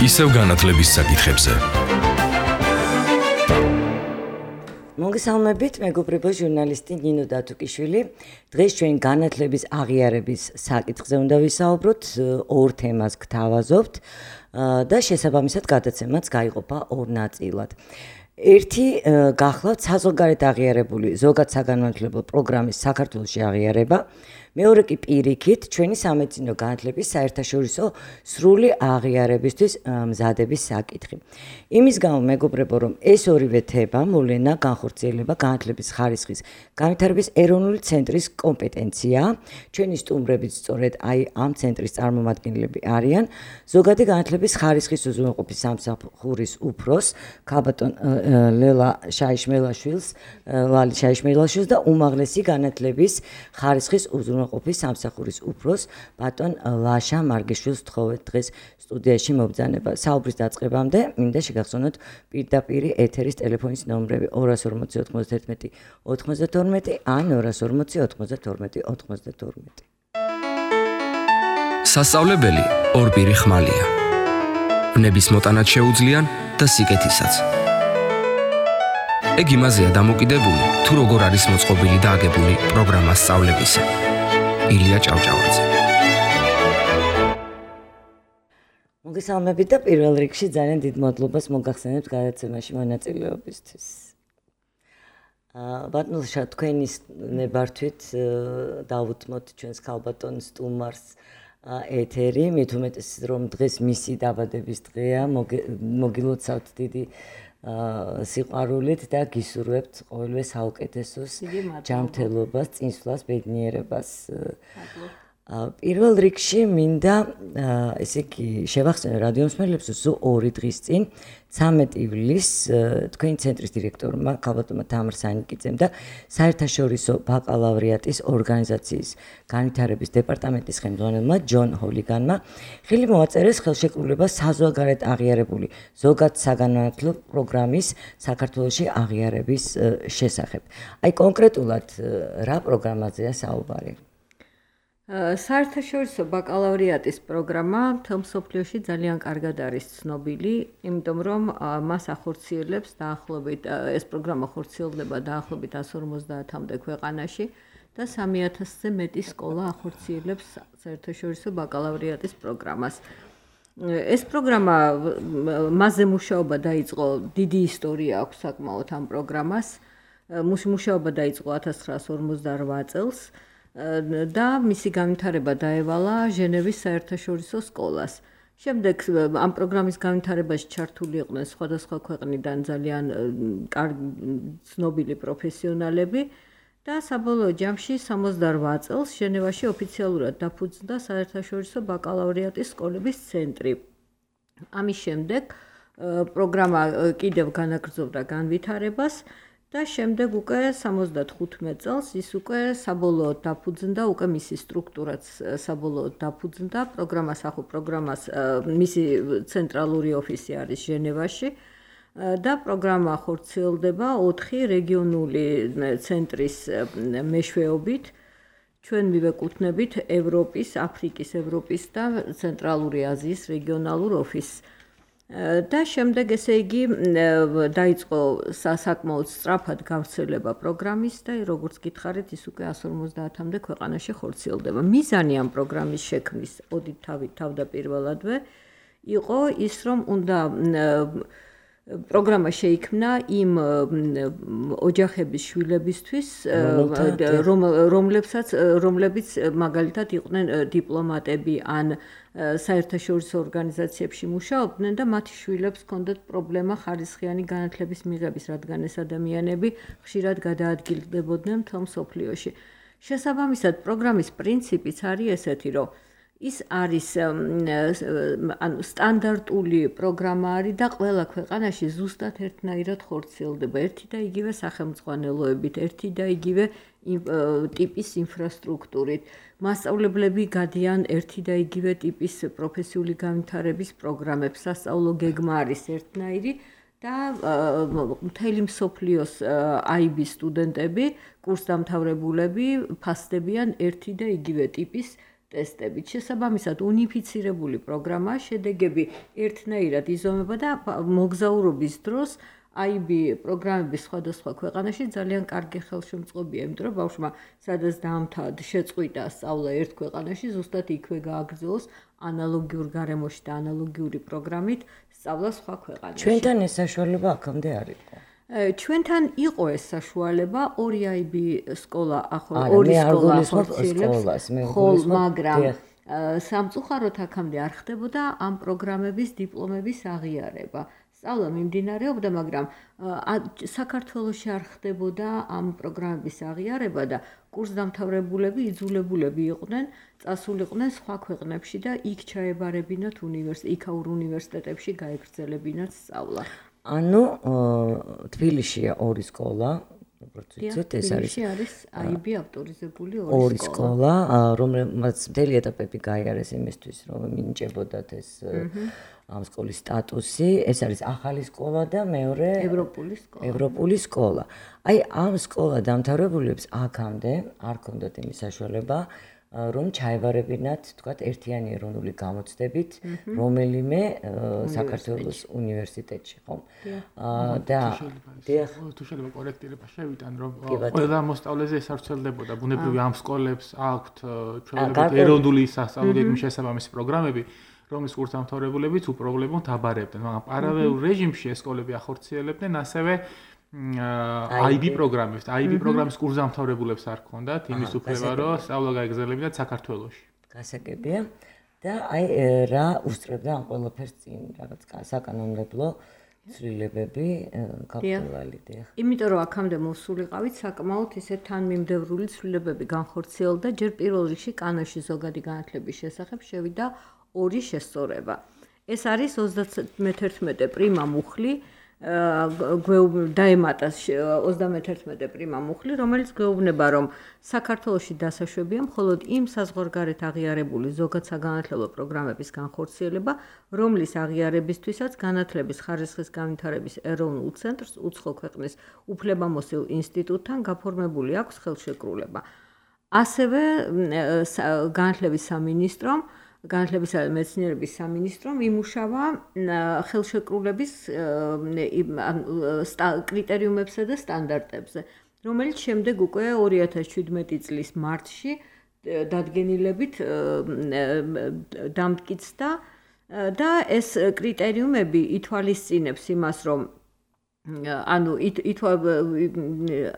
ისევ განათლების საკითხებზე. მოგესალმებით, მეგობრებო, ჟურნალისტი ნინო დათუკიშვილი. დღეს ჩვენ განათლების აღიარების საკითხზე უნდა ვისაუბროთ, ორ თემას გთავაზობთ და შესაბამისად გადაცემაც გაიყოფა ორ ნაწილად. ერთი გახლავთ საზღვარგარეთ აღიარებული ზოგად საგანმანათლებლო პროგრამის საქართველოში აღიარება. მეორე კი პირიქით ჩვენი სამედიცინო განათლების საერთაშორისო სრული აღიარებისთვის მზადების საკითხი. იმის გამო მეგობრებო, რომ ეს ორივე თემა მოვლენა განხორციელება განათლების ხარისხის განვითარების ეროვნული ცენტრის კომპეტენციაა. ჩვენი სტუმრებიც სწორედ ამ ცენტრის წარმომადგენლები არიან. ზოგადი განათლების ხარისხის უზრუნველყოფის სამსახურის უფროს ქალბატონ ლალი შაიშმელაშვილს და უმაღლესი განათლების ხარისხის უზრუნველყოფის სამსახურის უფროს ბატონ ლაშა მარგიშვილს თხოვეთ დღეს სტუდიაში მობრძანება. საუბრის დაწყებამდე მინდა შეგახსოვნოთ პირდაპირ ეთერის ტელეფონის ნომრები 240 91 92 ან 240 92 92. სასწავლებელი ორპირი ხმალია. ნების მოტანაც შეუძლიან და სიკეთისაც. ეგ იმაზეა დამოკიდებული, თუ როგორ არის მოწყობილი და აგებული პროგრამა სწავლებისა. ილია ჭავჭავაძე. მოგესალმებით და პირველ რიგში ძალიან დიდ მადლობას მოგახსენებთ გადაცემაში მონაწილეობისთვის. ბატონო ლაშა, თქვენი ნებართვით დავუთმოთ ჩვენს ქალბატონ სტუმარს ეთერი, მით უმეტეს რომ დღეს მისი დაბადების დღეა, მოგილოცავთ დიდი სიყვარულით და გისურვებთ ყოველივე საუკეთესოს, ჯანმრთელობას, წინსვლას, ბედნიერებას. პირველ რიგში მინდა ესე იგი შევახსენო რადიო მსმენელებს, რომ ორი დღის წინ 13 ივლისს თქვენი ცენტრის დირექტორმა ქალბატონმა თამარ სანიკიძემ და საერთაშორისო ბაკალავრიატის ორგანიზაციის განვითარების დეპარტამენტის ხელმძღვანელმა ჯონ ჰოლიგანმა ხელი მოაწერეს ხელშეკრულება საზღვარგარეთ აღიარებული ზოგად საგანმანათლებლო პროგრამის საქართველოში აღიარების შესახებ. აი კონკრეტულად რა პროგრამაზეა საუბარი? საერთაშორისო ბაკალავრიატის პროგრამა მთელ მსოფლიოში ძალიან კარგად არის ცნობილი, იმიტომ რომ მას ახორციელებს დაახლოებით ეს პროგრამა ხორციელდება დაახლოებით 150-მდე ქვეყანაში და 3000-ზე მეტი სკოლა ახორციელებს საერთაშორისო ბაკალავრიატის პროგრამას. ეს პროგრამა მასზე მუშაობა დაიწყო, დიდი ისტორია აქვს საკმაოდ ამ პროგრამას. მუშაობა დაიწყო 1958 წელს. და მისი განვითარება დაევალა ჟენევის საერთაშორისო სკოლას. შემდეგ ამ პროგრამის განვითარებაში ჩართული იყვნენ სხვადასხვა ქვეყნიდან ძალიან ცნობილი პროფესიონალები და საბოლოო ჯამში 68 წელს ჟენევაში ოფიციალურად დაფუძნდა საერთაშორისო ბაკალავრიატის სკოლების ცენტრი. ამის შემდეგ პროგრამა კიდევ განაგრძობდა განვითარებას და შემდეგ უკვე 75 წელს ის უკვე საბოლოოდ დაფუძნდა, უკვე მისი სტრუქტურაც საბოლოოდ დაფუძნდა, პროგრამას მისი ცენტრალური ოფისი არის ჟენევაში და პროგრამა ხორციელდება 4 რეგიონული ცენტრის მეშვეობით. ჩვენ მივეკუთვნებით ევროპის, აფრიკის, ევროპის და ცენტრალური აზიის რეგიონალურ ოფისს. და შემდეგ ესე იგი დაიწყო საკმაოდ სწრაფად გავრცელება პროგრამის და როგორც გითხარით, ის უკვე 150-მდე ქვეყანაში ხორციელდება. მიზანი ამ პროგრამის შექმნის თავდაპირველადვე იყო ის, რომ უნდა პროგრამა შეიქმნა იმ ოჯახების შვილებისთვის, რომლებიც მაგალითად იყვნენ დიპლომატები ან საერთაშორისო ორგანიზაციებში მუშაობდნენ და მათი შვილებს ჰქონდათ პრობლემა ხარისხიანი განათლების მიღების, რადგან ეს ადამიანები ხშირად გადაადგილდებოდნენ მთელ მსოფლიოში. შესაბამისად, პროგრამის პრინციპიც არის ესეთი, რომ ის არის სტანდარტული პროგრამა არის და ყველა ქვეყანაში ზუსტად ერთნაირად ხორციელდება ერთი და იგივე სახელმძღვანელოებით, ერთი და იგივე ტიპის ინფრასტრუქტურით. მასწავლებლები გადიან ერთი და იგივე ტიპის პროფესიული განვითარების პროგრამებს, სასწავლო გეგმა არის ერთნაირი და მთელი მსოფლიოს IB სტუდენტები, კურსდამთავრებულები ფასდებიან ერთი და იგივე ტიპის ტესტებით. შესაბამისად, უნიფიცირებული პროგრამა შედეგები ერთნაირად იზომება და მოგზაურობის დროს IB პროგრამების სხვადასხვა ქვეყანაში ძალიან კარგი ხელშემწყობია, იმიტომ რომ ბავშვმა სადაც დაამთავრა შეწყვიტა სწავლა ერთ ქვეყანაში, ზუსტად იქვე გააგრძელოს ანალოგიურ გარემოში და ანალოგიური პროგრამით სწავლა სხვა ქვეყანაში. ჩვენთან ეს საშუალება აქამდე არ იყო. ჩვენთან იყო ეს საშუალება, ორი IB სკოლა ორი სკოლა ახორციელებს, მაგრამ სამწუხაროდ აქამდე არ ხდებოდა ამ პროგრამების დიპლომების აღიარება. სწავლა მიმდინარეობდა, მაგრამ საქართველოში არ ხდებოდა ამ პროგრამების აღიარება და კურსდამთავრებულები იძულებულები იყვნენ წასულიყვნენ სხვა ქვეყნებში და იქ ჩაებარებინათ იქაურ უნივერსიტეტებში გაეგრძელებინათ სწავლა. ანუ თბილისშია ორი სკოლა, როგორც ვიცით, ეს არის IB ავტორიზებული ორი სკოლა, რომელმაც მთელი ეტაპები გაიარეს იმისთვის, რომ მინიჭებოდათ ეს ამ სკოლის სტატუსი. ეს არის ახალი სკოლა და მეორე ევროპული სკოლა. აი ამ სკოლა დამთავრებულებს აქამდე არ ჰქონდათ იმის საშუალება, რომ ჩაებარებინათ, თქვათ, ერთიანი ეროვნული გამოცდებით რომელიმე საქართველოს უნივერსიტეტში, ხო? და თუ შეიძლება კორექტირება შევიტან, რომ ყველა მოსწავლეზე ეს არ ვრცელდებოდა. ბუნებრივი ამ სკოლებს აქვთ ჩვეულებრივ ეროვნული სასწავლო გეგმის შესაბამისი პროგრამები, რომლის კურსდამთავრებულებიც უპრობლემოდ აბარებდნენ, მაგრამ პარალელურ რეჟიმში ეს სკოლები ახორციელებდნენ ასევე IB პროგრამებს. IB პროგრამის კურსდამთავრებულებს არ ჰქონდათ იმის უფლება, რომ სწავლა გაეგრძელებინათ საქართველოში. გასაგებია და აი რა უსწრებდა ამ ყველაფერს წინ, რაღაც საკანონმდებლო ცვლილებები გაგრძელებდია. იმიტომ რომ აქამდე მოსულიყავით საკმაოდ ისე თანმიმდევრული ცვლილებები განხორციელდა, ჯერ პირველ რიგში კანონში ზოგადი განათლების შესახებ შევიდა ორი შესწორება. ეს არის 31 პრიმა მუხლი დაემატა 31 პრიმა მუხლი, რომელიც გვეუბნება, რომ საქართველოში დასაშვებია მხოლოდ იმ საზღვარგარეთ აღიარებული ზოგად საგანათლებლო პროგრამების განხორციელება, რომლის აღიარებისთვისაც განათლების ხარისხის განვითარების ეროვნულ ცენტრს უცხო ქვეყნის უფლებამოსილ ინსტიტუტთან გაფორმებული აქვს ხელშეკრულება. ასევე განათლების სამინისტრომ განათლებისა და მეცნიერების სამინისტრომ იმუშავა ხელშეკრულების კრიტერიუმებსა და სტანდარტებზე, რომელიც შემდეგ უკვე 2017 წლის მარტში დადგენილებით დამტკიცდა და ეს კრიტერიუმები ითვალისწინებს იმას, რომ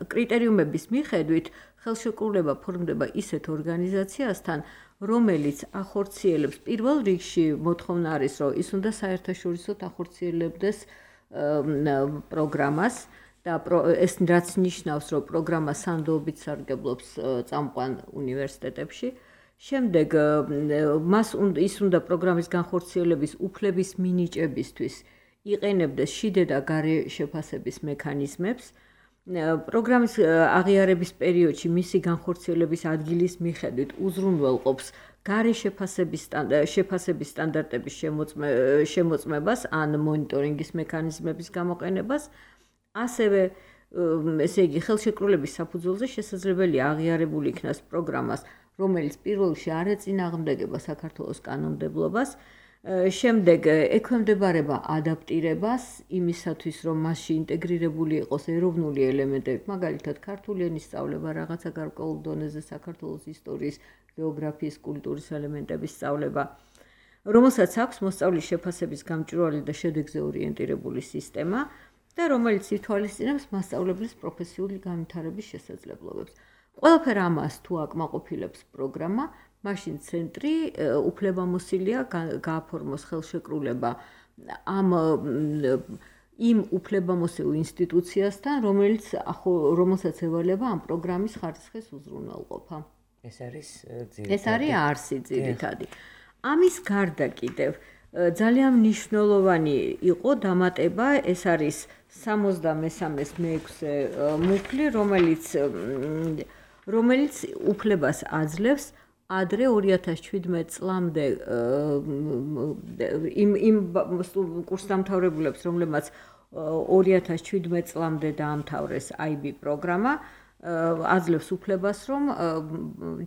კრიტერიუმების მიხედვით ხელშეკრულება ფორმდება ისეთ ორგანიზაციასთან, რომელიც ახორციელებს პირველ რიგში მოთხოვნა არის, რომ ის უნდა საერთაშორისოდ ახორციელებდეს პროგრამას და ეს რაც ნიშნავს, რომ პროგრამა სანდოობით სარგებლობს წამყვან უნივერსიტეტებში. შემდეგ ის უნდა პროგრამის განხორციელების უფლების მინიჭებისთვის იყენებდეს შიდე და გარე შეფასების მექანიზმებს. პროგრამის აღიარების პერიოდში მისი განხორციელების ადგილის მიხედვით უზრუნველყოფს გარე შეფასების სტანდარტების შემოწმებას ან მონიტორინგის მექანიზმების გამოყენებას. ასევე ესე იგი ხელშეკრულების საფუძველზე შესაძლებელია აღიარებული იქნას პროგრამას, რომელიც პირველ რიგში არ ეწინააღმდეგება საქართველოს კანონმდებლობას. შემდეგ ექვემდებარება ადაპტირებას იმისათვის, რომ მასში ინტეგრირებული იყოს ეროვნული ელემენტები, მაგალითად ქართული ენის სწავლება, რაღაცა გარკვეულ დონეზე საქართველოს ისტორიის, გეოგრაფიის, კულტურის ელემენტების სწავლება, რომელსაც აქვს მოსწავლის შეფასების გამჭვირვალე და შედეგზე ორიენტირებული სისტემა და რომელიც ითვალისწინებს მასწავლებლის პროფესიული განვითარების შესაძლებლობებს. ყველაფერ ამას თუ აკმაყოფილებს პროგრამა, მაშინ ცენტრი უფლებამოსილია გააფორმოს ხელშეკრულება იმ უფლებამოსილ ინსტიტუციასთან, რომელსაც ევალება ამ პროგრამის ხარისხის უზრუნველყოფა. ეს არის არსი ძირითადი. ამის გარდა კიდევ ძალიან მნიშვნელოვანი იყო დამატება, ეს არის 63-ის მე-6 მუხლი, რომელიც უფლებას აძლევს ადრე 2017 წლამდე იმ კურსდამთავრებულებს, რომლებმაც 2017 წლამდე დაამთავრეს IB პროგრამა, აძლევს უფლებას, რომ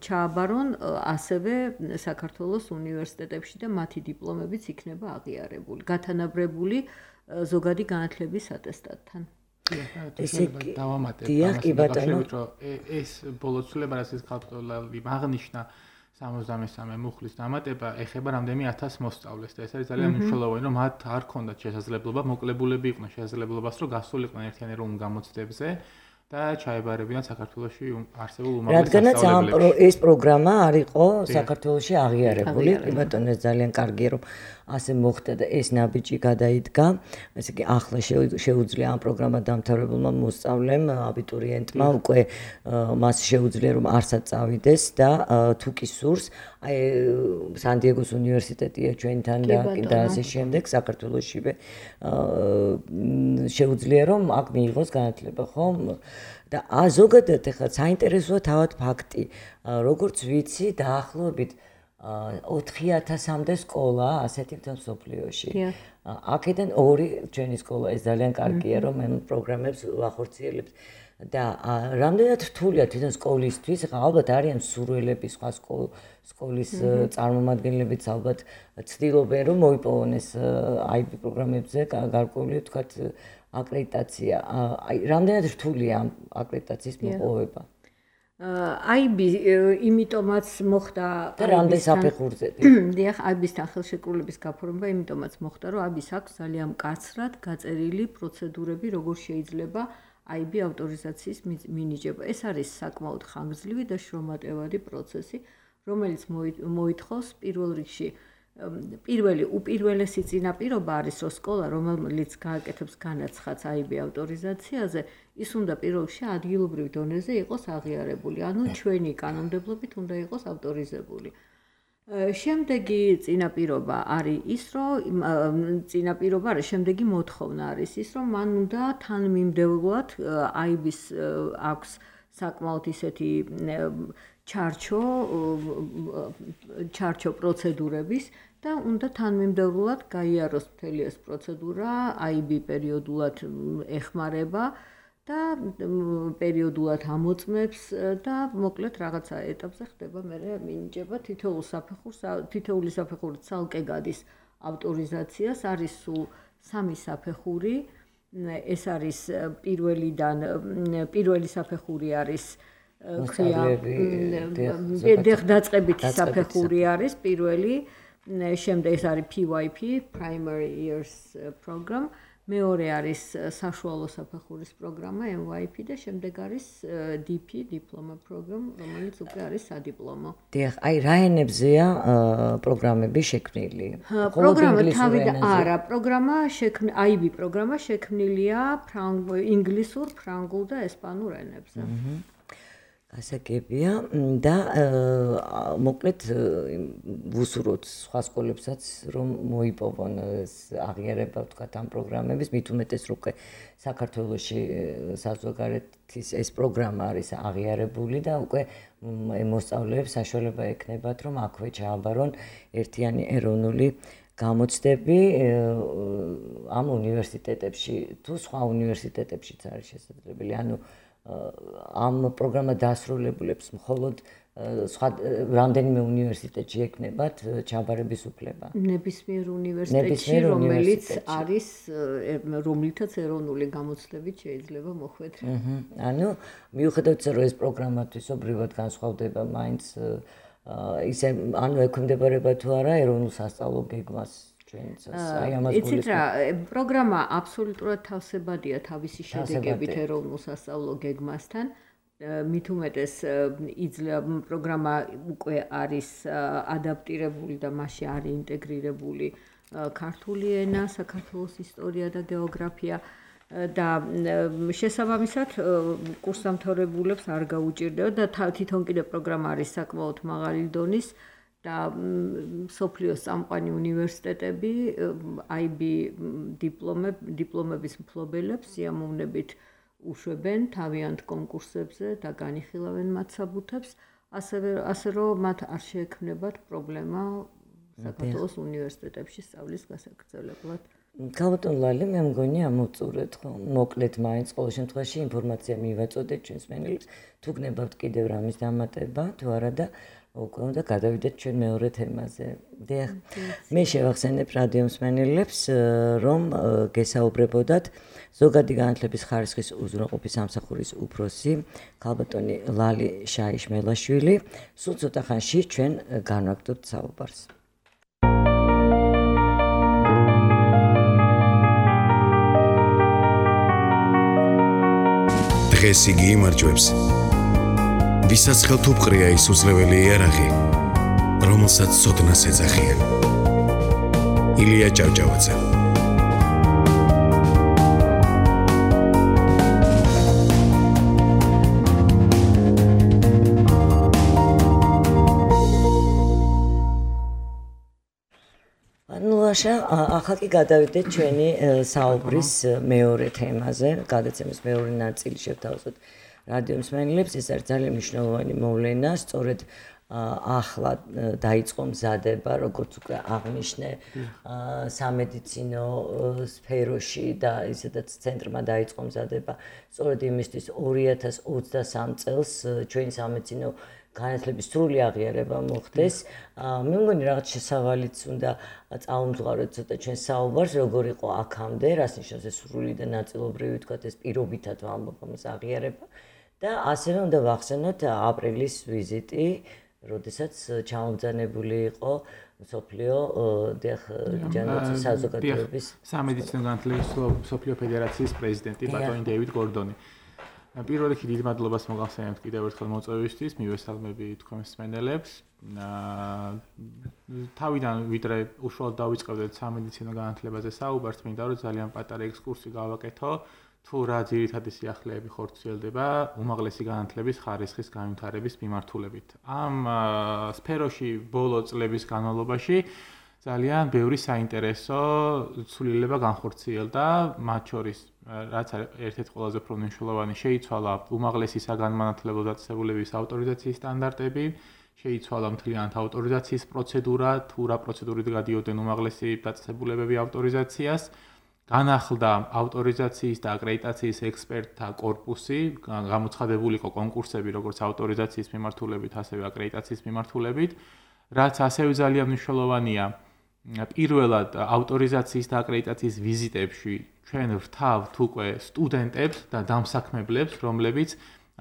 ჩააბარონ ასევე საქართველოს უნივერსიტეტებში და მათი დიპლომებიც იქნება აღიარებული, გათანაბრებული ზოგადი განათლების ატესტატთან. ესე დავამატებ დიახ, კი ბატონო. ეს ბოლო ცვლილება, რასაც ხალხი აღნიშნა 73 მუხლის დამატება ეხება რამდენი 1000 მოსწავლეს და ეს არის ძალიან მნიშვნელოვანი, რომ მათ არ ქონდათ შესაძლებლობა, მოკლებულები იყვნენ შესაძლებლობას, რომ გასულიყვნენ ერთიანი ეროვნულ გამოცდებზე და ჩაებარებინათ საქართველოში არსებულ უმაღლეს სასწავლებლებში. რადგანაც ეს პროგრამა არ იყო საქართველოში აღიარებული, კი ბატონო, ეს ძალიან კარგია, რომ ასე მოხდა და ეს ნაბიჯი გადაიდგა. ესე იგი, ახლა შეუძლია ამ პროგრამა დამთავრებულმა მოსწავლემ, აბიტურიენტმა უკვე მას შეუძლია რომ არსად წავიდეს და თუ კი სურს, აი სან-დიეგოს უნივერსიტეტია ჩვენთან და ასე შემდეგ საქართველოშივე შეუძლია რომ აქ მიიღოს განათლება, ხო? და ზოგადად ახლა საინტერესოა თავად ფაქტი, როგორც ვიცი, დაახლოებით 4000-მდე სკოლა ასეთი მთელ მსოფლიოში. აქედან 2 ჩვენი სკოლა, ეს ძალიან კარგია, რომ ამ პროგრამებს ვახორციელებთ. და რამდენად რთულია თვითონ სკოლისთვის, ალბათ არიან მსურველები, სხვა სკოლის წარმომადგენლებიც ალბათ ცდილობენ, რომ მოიპოვონ ეს IB პროგრამებზე გარკვეული, თქვათ, აკრედიტაცია. აი, რამდენად რთულია ამ აკრედიტაციის მოპოვება? IB იმიტომაც მოხდა და რამდენ საფეხურზე. დიახ, IB-სთან ხელშეკრულების გაფორმება იმიტომაც მოხდა, რომ IB-ს აქვს ძალიან მკაცრად გაწერილი პროცედურები, როგორ შეიძლება IB ავტორიზაციის მინიჭება. ეს არის საკმაოდ ხანგრძლივი და შრომატევადი პროცესი, რომელიც მოითხოვს პირველ რიგში პირველი უპირველესი წინაპირობა არის, რომ სკოლა, რომელიც გააკეთებს განაცხადს IB ავტორიზაციაზე, ის უნდა პირველ რიგში ადგილობრივ დონეზე იყოს აღიარებული, ანუ ჩვენი კანონმდებლობით უნდა იყოს ავტორიზებული. შემდეგი წინაპირობა არის ის, რომ შემდეგი მოთხოვნა არის ის, რომ მან უნდა თანმიმდევრულად IB-ს აქვს საკმაოდ ისეთი ჩარჩო პროცედურების და უნდა თანმიმდევრულად გაიაროს მთელი ეს პროცედურა, IB პერიოდულად ეხმარება და პერიოდულად ამოწმებს და მოკლედ რაღაცა ეტაპზე ხდება მერე მინიჭება თითოეული საფეხური ცალკე გადის ავტორიზაციას, არის სულ 3 საფეხური, ეს არის პირველი საფეხური არის დაწყებითი საფეხური არის პირველი, შემდეგ ეს არის PYP, Primary Years Program, მეორე არის საშუალო საფეხურის პროგრამა MYP და შემდეგ არის DP, Diploma Program, რომელიც უკვე არის სადიპლომო. დიახ, აი რა ენებზეა პროგრამები შექმნილი? პროგრამა თავიდან არა, IB პროგრამა შექმნილია ინგლისურ, ფრანგულ და ესპანურ ენებზე. ასაკებია და მოკლედ ვუსურვოთ სხვა სკოლებსაც რომ მოიპოვონ აღიარება ვთქვათ ამ პროგრამების, მით უმეტეს რომ საქართველოში საზოგადოების ეს პროგრამა არის აღიარებული და უკვე მოსწავლეებს საშუალება ექნებათ რომ აქვე ჩააბარონ ერთიანი ეროვნული გამოცდები ამ უნივერსიტეტებში თუ სხვა უნივერსიტეტებშიც არის შესაძლებელი, ანუ ამ პროგრამა დასრულებულებს მხოლოდ სხვა რამდენიმე უნივერსიტეტში ექნებათ ჩაბარების უფლება. ნებისმიერ უნივერსიტეტში, რომელიც არის რომლითაც ეროვნული გამოცდებით შეიძლება მოხვედრა. ანუ მიუხედავად რომ ეს პროგრამა თვისობრივად განსხვავდება, მაინც ისე ანუ ექვემდებარება თუ არა ეროვნულ სასწავლო გეგმას. იცით რა, პროგრამა აბსოლუტურად თავსებადია თავისი შედეგებით ეროვნულ სასწავლო გეგმასთან. მით უმეტეს პროგრამა უკვე არის ადაპტირებული და მასში არის ინტეგრირებული ქართული ენა, საქართველოს ისტორია და გეოგრაფია და შესაბამისად კურსდამთავრებულებს არ გაუჭირდება და თვითონ კიდე პროგრამა არის საკმაოდ მაღალი დონის და სოფლიოს წამყვანი უნივერსიტეტები IB დიპლომების მფლობელებს სიამოვნებით უშვებენ თავიანთ კონკურსებზე და განიხილავენ მათ საბუთებს, ასე რომ მათ არ შეექმნებათ პრობლემა საქართველოს უნივერსიტეტებში სწავლის გასაგრძელებლად. ქალბატონ ლალი, მე მგონი ამოვწურეთ ხო, მოკლედ მაინც ყოველ შემთხვევაში ინფორმაცია მივაწოდეთ ჩვენს მენელებს, თუ გნებავთ კიდევ რამის დამატება, თუ არა და უკვე უნდა გადავიდეთ ჩვენ მეორე თემაზე. დიახ, მე შევახსენებ რადიო მსმენელებს, რომ გესაუბრებოდათ ზოგადი განათლების ხარისხის უზრუნველყოფის სამსახურის უფროსი ქალბატონი ლალი შაიშმელაშვილი. სულ ცოტა ხანში ჩვენ განვაგრძობთ საუბარს. დღეს იგი იმარჯვებს, ვისაც ხელთუპყრია ის უძლეველი იარაღი, რომელსაც ცოდნას ეძახიან. ილია ჭავჭავაძე. ახლა კი გადავიდეთ ჩვენი საუბრის მეორე თემაზე, გადაცემის მეორე ნაწილი შევთავაზოთ რადიო მსმენელებს. ეს არის ძალიან მნიშვნელოვანი მოვლენა, სწორედ ახლა დაიწყო მზადება, როგორც უკვე აღნიშნე, სამედიცინო სფეროში და ისედაც ცენტრმა დაიწყო მზადება, სწორედ იმისთვის 2023 წელს ჩვენი სამედიცინო განათლების სრული აღიარება მოხდეს. მე მგონი რაღაც შესავალიც უნდა წაუმძღვაროთ ცოტა ჩვენ საუბარს, როგორ იყო აქამდე, რას ნიშნავს ეს სრული და ნაწილობრივი, ვთქვათ, ეს პირობითად ვამბობ ამას აღიარება და ასევე უნდა ვახსენოთ აპრილის ვიზიტი, როდესაც ჩამობრძანებული იყო მსოფლიო ჯანდაცვის საზოგადოების სამედიცინო განათლების მსოფლიო ფედერაციის პრეზიდენტი ბატონი დეივიდ გორდონი. პირველ რიგში დიდ მადლობას მოგახსენებთ კიდევ ერთხელ მოწვევისთვის, მივესალმები თქვენს მსმენელებს. თავიდან ვიდრე უშუალოდ დავიწყებდეთ სამედიცინო განათლებაზე საუბარს, მინდა რომ ძალიან პატარა ექსკურსი გავაკეთო, თუ რა ძირითადი სიახლეები ხორციელდება უმაღლესი განათლების ხარისხის განვითარების მიმართულებით. ამ სფეროში ბოლო წლების განმავლობაში ძალიან ბევრი საინტერესო ცვლილება განხორციელდა, მათ შორის რაც ერთ-ერთი ყველაზე უფრო მნიშვნელოვანი შეიცვალა უმაღლესი საგანმანათლებლო დაწესებულების ავტორიზაციის სტანდარტები, შეიცვალა მთლიანად ავტორიზაციის პროცედურა, თუ რა პროცედურით გადიოდნენ უმაღლესი დაწესებულებები ავტორიზაციას, განახლდა ავტორიზაციის და აკრედიტაციის ექსპერტთა კორპუსი, გამოცხადებული იყო კონკურსები როგორც ავტორიზაციის მიმართულებით, ასევე აკრედიტაციის მიმართულებით, რაც ასევე ძალიან მნიშვნელოვანია. პირველად ავტორიზაციის და აკრედიტაციის ვიზიტებში ჩვენ ვრთავთ უკვე სტუდენტებს და დამსაქმებლებს, რომლებიც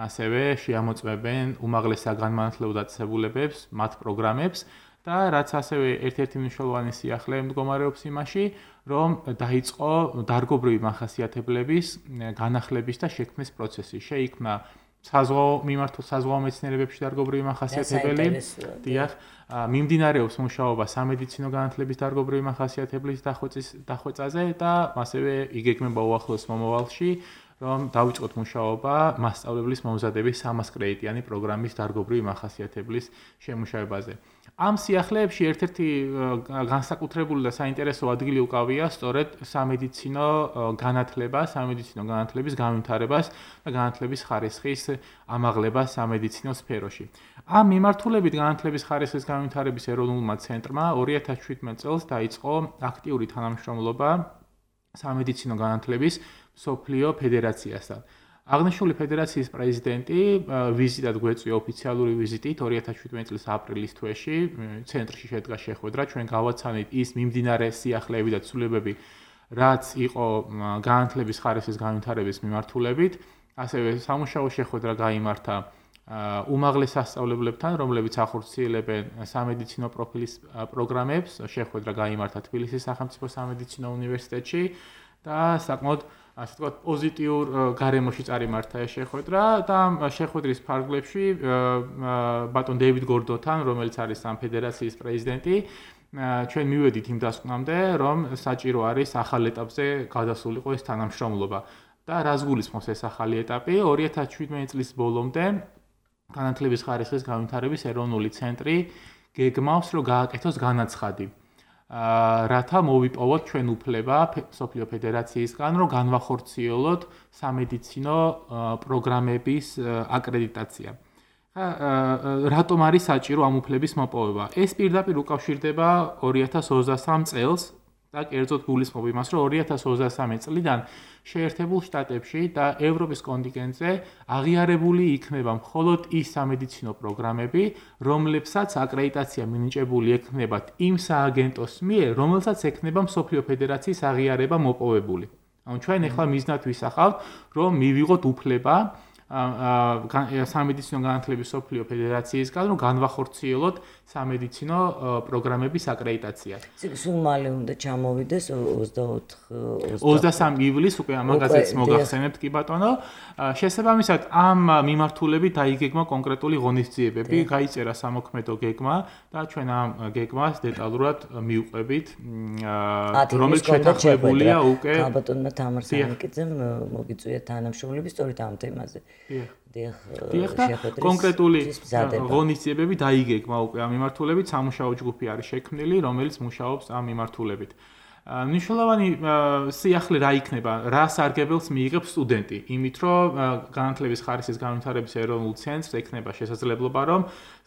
ასევე შეამოწმებენ უმაღლეს საგანმანათლებლო დაწესებულებებს, მათ პროგრამებს და რაც ასევე ერთ-ერთი მნიშვნელოვანი სიახლე მდგომარეობს იმაში, რომ დაიწყო დარგობრივი მახასიათებლების განახლების და შექმნის პროცესი. შეიქმნა საზღვაო მეცნიერებებში დარგობრივი მახასიათებელი. დიახ, მიმდინარეობს მუშაობა სამედიცინო განათლების დარგობრივი მახასიათებლის დახვეწაზე და ასევე იგეგმება უახლოს მომავალში, რომ დავიწყოთ მუშაობა მასწავლებლის მომზადების 300 კრედიტიანი პროგრამის დარგობრივი მახასიათებლის შემუშავებაზე. ამ სიახლეებში ერთ-ერთი განსაკუთრებული და საინტერესო ადგილი უკავია სწორედ სამედიცინო განათლება, სამედიცინო განათლების განვითარებას და განათლების ხარისხის ამაღლებას სამედიცინო სფეროში. ამ მიმართულებით განათლების ხარისხის განვითარების ეროვნულმა ცენტრმა 2017 წელს დაიწყო აქტიური თანამშრომლობა სამედიცინო განათლების მსოფლიო ფედერაციასთან. აღნიშნული ფედერაციის პრეზიდენტი ვიზიტად გვეწვია ოფიციალური ვიზიტით 2017 წლის აპრილის თვეში ცენტრში შედგა შეხვედრა, ჩვენ გავაცანით ის მიმდინარე სიახლეები და ცვლილებები, რაც იყო განათლების ხარისხის განვითარების მიმართულებით, ასევე სამუშაო შეხვედრა გაიმართა უმაღლეს სასწავლებლებთან, რომლებიც ახორციელებენ სამედიცინო პროფილის პროგრამებს, შეხვედრა გაიმართა თბილისის სახელმწიფო სამედიცინო უნივერსიტეტში და საკმაოდ ასე ვთქვათ, პოზიტიურ გარემოში წარიმართა ეს შეხვედრა და შეხვედრის ფარგლებში ბატონ დეივიდ გორდონთან, რომელიც არის ამ ფედერაციის პრეზიდენტი, ჩვენ მივედით იმ დასკვნამდე, რომ საჭირო არის ახალ ეტაპზე გადასულიყო ეს თანამშრომლობა. და რას გულისხმობს ეს ახალი ეტაპი? 2017 წლის ბოლომდე განათლების ხარისხის განვითარების ეროვნული ცენტრი გეგმავს, რომ გააკეთოს განაცხადი. რათა მოვიპოვოთ ჩვენ უფლება მსოფლიო ფედერაციისგან, რომ განვახორციელოთ სამედიცინო პროგრამების აკრედიტაცია. რატომ არის საჭირო ამ უფლების მოპოვება? ეს პირდაპირ უკავშირდება 2023 წელს და კერძოდ გულისხმობ იმას, რომ 2023 წლიდან შეერთებულ შტატებში და ევროპის კონტინენტზე აღიარებული იქნება მხოლოდ ის სამედიცინო პროგრამები, რომლებსაც აკრედიტაცია მინიჭებული ექნებათ იმ სააგენტოს მიერ, რომელსაც ექნება მსოფლიო ფედერაციის აღიარება მოპოვებული. ანუ ჩვენ ახლა მიზნად ვისახავთ, რომ მივიღოთ უფლება სამედიცინო განათლების მსოფლიო ფედერაციისგან, რომ განვახორციელოთ სამედიცინო პროგრამების აკრედიტაცია. სულ მალე უნდა ჩამოვიდეს 23 ივლისს უკვე ამაგაზეთს მოგახსენებთ კი ბატონო. შესაბამისად ამ მიმართულებით დაიგეგმა კონკრეტული ღონისძიებები, გაიწერა სამოქმედო გეგმა და ჩვენ ამ გეგმას დეტალურად მივყვებით, რომელიც შეთანხმებულია უკვე ბატონმა თამარ სამიკიძემ მოგიწვია თანამშრომლები სწორედ ამ თემაზე. კონკრეტული ღონისძიებები დაიგეგმა უკვე ამ მიმართულებით, სამუშაო ჯგუფი არის შექმნილი, რომელიც მუშაობს ამ მიმართულებით. მნიშვნელოვანი სიახლე რა იქნება, რა სარგებელს მიიღებს სტუდენტი, იმით რომ განათლების ხარისხის განვითარების ეროვნულ ცენტრს ექნება შესაძლებლობა, რომ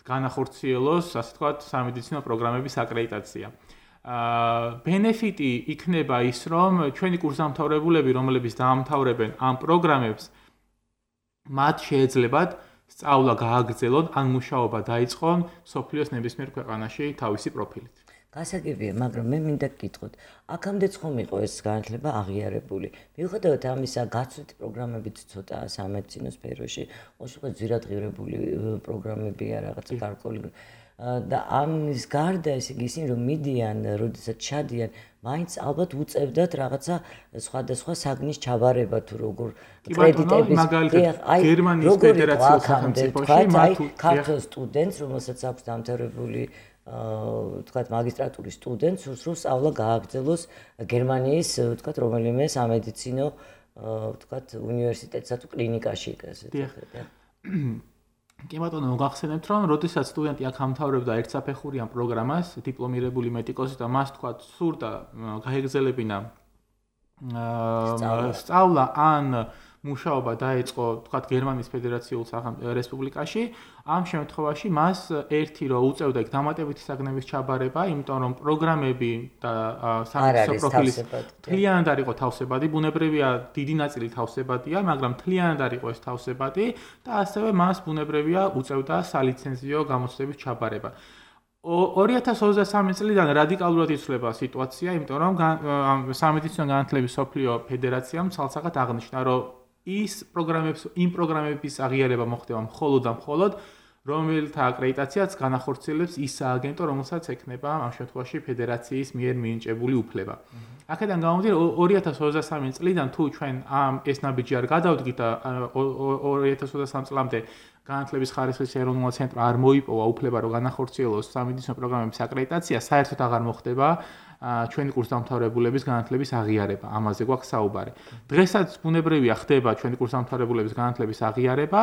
განახორციელოს, ასე ვთქვათ, სამედიცინო პროგრამების აკრედიტაცია. ბენეფიტი იქნება ის, რომ ჩვენი კურსდამთავრებულები, რომლებიც დაამთავრებენ ამ პროგრამებს, მათ შეეძლებათ სწავლა გააგრძელონ ან მუშაობა დაიწყონ სოფლიოს ნებისმიერ ქვეყანაში თავისი პროფილით. გასაგებია, მაგრამ მე მინდა გკითხოთ, აქამდეც ხომ იყო ეს განათლება აღიარებული. მიუხედავად ამისა, გაცვლითი პროგრამებით ცოტა სამედიცინო სფეროში, უშუალოდ ძვირადღირებული პროგრამებია რაღაცა გარკვეული და ამის გარდა ესე იგი ისინი რომ მიდიან, როდესაც ჩადიან, მაინც ალბათ უწევდათ რაღაცა სხვადასხვა საგნის ჩაბარება თუ როგორ კრედიტების გერმანიის ფედერაციის სახელმწიფოში მათ ქართულ სტუდენტს, რომელსაც აქვს დამთავრებული ვთქვათ მაგისტრატურის სტუდენტს, სურს სწავლა გააგრძელოს გერმანიის ვთქვათ რომელიმე სამედიცინო ვთქვათ უნივერსიტეტსა თუ კლინიკაში ასე ვთქვათ. კი ბატონო, მოგახსენებთ, რომ როდესაც სტუდენტი აქ ამთავრებდა ერთსაფეხურიან პროგრამას, დიპლომირებული მედიკოსი და მას თქვა სურდა გაეგრძელებინა სწავლა ან მუშაობა დაეწყო, თქვათ, გერმანიის ფედერაციულ რესპუბლიკაში, ამ შემთხვევაში მას ერთი რომ უწევდა იქ დამატებითი საგნების ჩაბარება, იმიტომ რომ პროგრამები და სამედიცინო პროფილის მთლიანად არ იყო თავსებადი, ბუნებრივია დიდი ნაწილი თავსებადია, მაგრამ მთლიანად არ იყო ეს თავსებადი და ასევე მას ბუნებრივია უწევდა სალიცენზიო გამოცდების ჩაბარება. 2023 წლიდან რადიკალურად იცვლება სიტუაცია, იმიტომ რომ სამედიცინო განათლების მსოფლიო ფედერაციამ ცალსახად აღნიშნა, რომ იმ პროგრამების აღიარება მოხდება მხოლოდ და მხოლოდ, რომელთა აკრედიტაციაც განახორციელებს ის სააგენტო, რომელსაც ექნება ამ შემთხვევაში ფედერაციის მიერ მინიჭებული უფლება. აქედან გამომდინარე 2023 წლიდან თუ ჩვენ ეს ნაბიჯი არ გადავდგით და 2023 წლამდე განათლების ხარისხის ეროვნულ ცენტრმა არ მოიპოვა უფლება, რომ განახორციელოს სამედიცინო პროგრამების აკრედიტაცია, საერთოდ აღარ მოხდება ჩვენი კურსდამთავრებულების განათლების აღიარება. ამაზე გვაქვს საუბარი. დღესაც ბუნებრივია ხდება ჩვენი კურსდამთავრებულების განათლების აღიარება,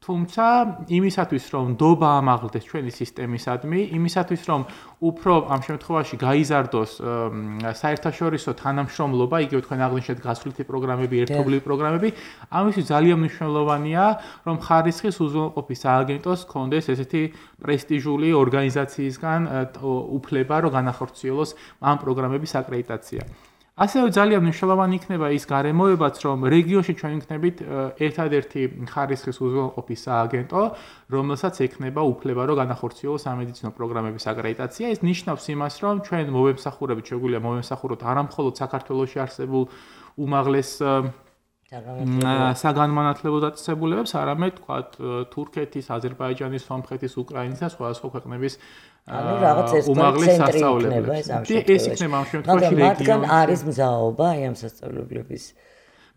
თუმცა იმისათვის, რომ ნდობა ამაღლდეს ჩვენი სისტემისადმი, იმისათვის, რომ უფრო ამ შემთხვევაში გაიზარდოს საერთაშორისო თანამშრომლობა, იგივე თქვენ აღნიშნეთ გასვლითი პროგრამები, ერთობლივი პროგრამები, ამისთვის ძალიან მნიშვნელოვანია, რომ ხარისხის უზრუნველყოფის სააგენტოს ჰქონდეს ესეთი პრესტიჟული ორგანიზაციისგან უფლება, რომ განახორციელოს ამ პროგრამების აკრედიტაცია. ასევე ძალიან მნიშვნელოვანი იქნება ის გარემოებაც, რომ რეგიონში ჩვენ ვიქნებით ერთადერთი ხარისხის უზრუნველყოფის სააგენტო, რომელსაც ექნება უფლება, რომ განახორციელოს სამედიცინო პროგრამების აკრედიტაცია. ეს ნიშნავს იმას, რომ ჩვენ მოვემსახურებით, შეგვიძლია მოვემსახუროთ არა მხოლოდ საქართველოში არსებულ უმაღლეს საგანმანათლებლო დაწესებულებებს, არამედ თქვათ თურქეთის, აზერბაიჯანის, სომხეთის, უკრაინის და სხვადასხვა ქვეყნების ანუ რაღაც ეს ცენტრი იქნება ეს ამ შემთხვევაში. მაგრამ მათგან არის მზაობა აი ამ სასწავლებლების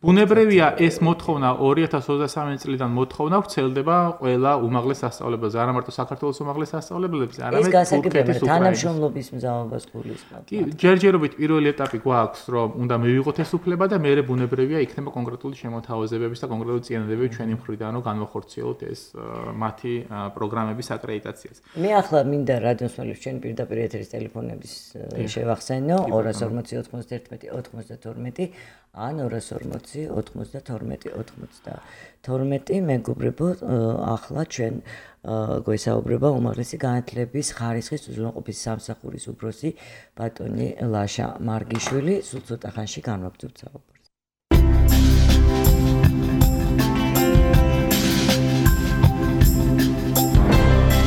ბუნებრივია ეს მოთხოვნა 2023 წლიდან მოთხოვნა ვრცელდება ყველა უმაღლეს სასწავლებელზე, არა მარტო საქართველოს უმაღლეს სასწავლებელებზე, არამედ თურქეთის, თანამშრომლობის მზაობას გულისხმობს. კი, ჯერჯერობით პირველი ეტაპი გვაქვს, რომ უნდა მივიღოთ ეს უფლება და მერე ბუნებრივია იქნება კონკრეტული შემოთავაზებების და კონკრეტული წინადადებები ჩვენი მხრიდან, რომ განვახორციელოთ ეს მათი პროგრამების აკრედიტაციას. მე ახლა მინდა რადიოსმალებს ჩვენი პირდაპირ ეთერის ტელეფონების შევახსენო 240 91 92 ან 240 92 მეგობრებო, ახლა ჩვენ გვესაუბრება უმაღლესი განათლების ხარისხის უზრუნველყოფის სამსახურის უფროსი ბატონი ლაშა მარგიშვილი, სულ ცოტა ხანში განვაგრძობთ საუბარს.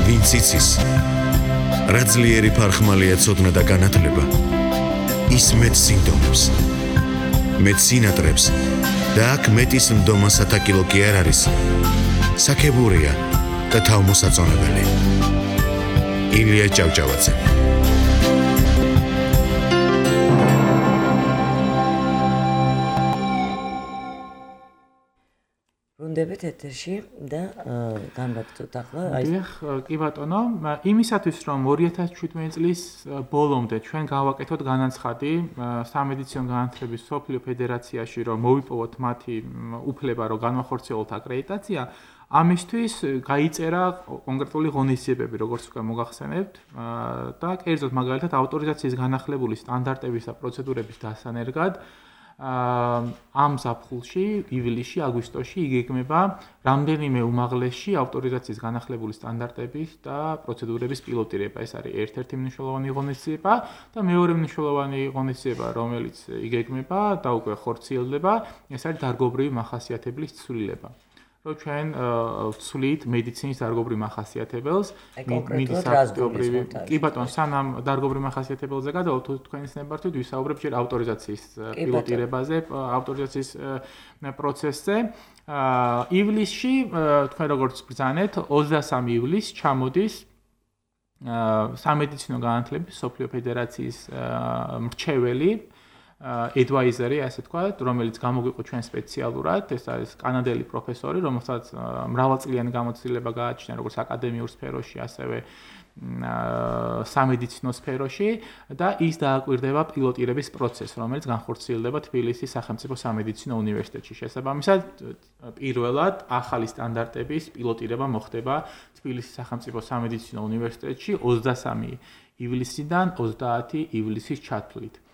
ვინც იცის, რა ძლიერი ფარხმალია ცოდნა და განათლება, ის მეტ სინდომებს, მეტ სინატრებს და აქ მეტის მდომა სათაკილო კი არ არის, საქებურია და თავმოსაწონებელი. ილია ჭავჭავაძე. ბრუნდებით ეთერში და განვაგრძობთ ახლა. კი ბატონო, იმისათვის რომ 2017 წლის ბოლომდე ჩვენ გავაკეთოთ განაცხადი სამედიცინო განათლების მსოფლიო ფედერაციაში, რომ მოვიპოვოთ მათი უფლება, რომ განვახორციელოთ აკრედიტაცია, ამისთვის გაიწერა კონკრეტული ღონისძიებები, როგორც უკვე მოგახსენებთ, და კერძოდ მაგალითად ავტორიზაციის განახლებული სტანდარტების და პროცედურების დასანერგად ამ ზაფხულში, ივლისში, აგვისტოში იგეგმება რამდენიმე უმაღლესში ავტორიზაციის განახლებული სტანდარტების და პროცედურების პილოტირება. ეს არის ერთ-ერთი მნიშვნელოვანი ღონისძიება და მეორე მნიშვნელოვანი ღონისძიება, რომელიც იგეგმება და უკვე ხორციელდება, ეს არის დარგობრივი მახასიათებლის ცვლილება. რომ ჩვენ ვცვლით მედიცინის დარგობრივ მახასიათებელს, მიდის აქტიობრივი. კი ბატონო, სანამ დარგობრივ მახასიათებელზე გადავთ, თქვენის ნებართვით ვისაუბრებთ ჯერ ავტორიზაციის პილოტირებაზე, ავტორიზაციის პროცესზე. ივლისში, თქვენ როგორც ბრძანეთ, 23 ივლისს ჩამოდის სამედიცინო განათლების მსოფლიო ფედერაციის მრჩეველი advisory, ასე ვთქვათ, რომელიც გამოგვიყო ჩვენ სპეციალურად, ეს არის კანადელი პროფესორი, რომელსაც მრავალწლიანი გამოცდილება გააჩნია როგორც აკადემიურ სფეროში, ასევე სამედიცინო სფეროში და ის დააკვირდება პილოტირების პროცესს, რომელიც განხორციელდება თბილისის სახელმწიფო სამედიცინო უნივერსიტეტში. შესაბამისად, პირველად ახალი სტანდარტების პილოტირება მოხდება თბილისის სახელმწიფო სამედიცინო უნივერსიტეტში 23 ივლისიდან 30 ივლისის ჩათვლით.